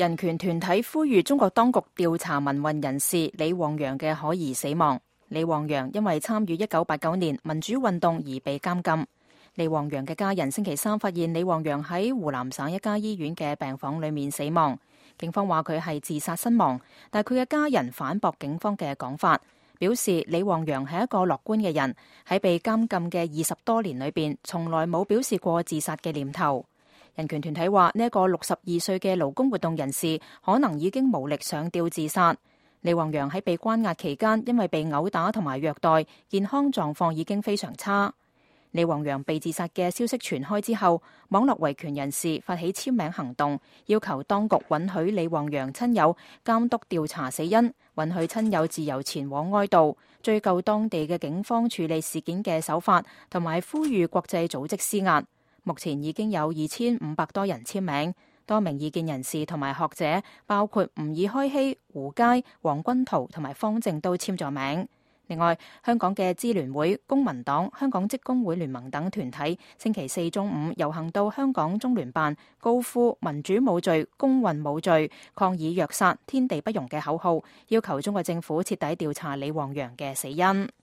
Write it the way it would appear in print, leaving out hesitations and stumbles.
人權團體呼籲中國當局調查民運人士李旺陽嘅可疑死亡。李旺陽因為參與1989年民主運動而被監禁。李旺陽嘅家人星期三發現李旺陽喺湖南省一家醫院嘅病房裏面死亡。警方話佢係自殺身亡，但佢嘅家人反駁警方嘅講法，表示李旺陽係一個樂觀嘅人，喺被監禁嘅20多年裏邊，從來冇表示過自殺嘅念頭。人權團體話呢一個62歲嘅勞工活動人士可能已經無力上吊自殺。李旺陽喺被關押期間，因為被毆打同埋虐待，健康狀況已經非常差。李旺陽被自殺嘅消息傳開之後，網絡維權人士發起簽名行動，要求當局允許李旺陽親友監督調查死因，允許親友自由前往哀悼，追究當地嘅警方處理事件嘅手法，同埋呼籲國際組織施壓。目前已經有2500多人簽名，多名意見人士同埋學者，包括吾爾開希、胡佳、黃君濤同埋方正都簽咗名。另外，香港嘅支聯會、公民黨、香港職工會聯盟等團體星期四中午遊行到香港中聯辦，高呼民主冇罪、公運冇罪，抗議虐殺、天地不容嘅口號，要求中國政府徹底調查李旺陽嘅死因。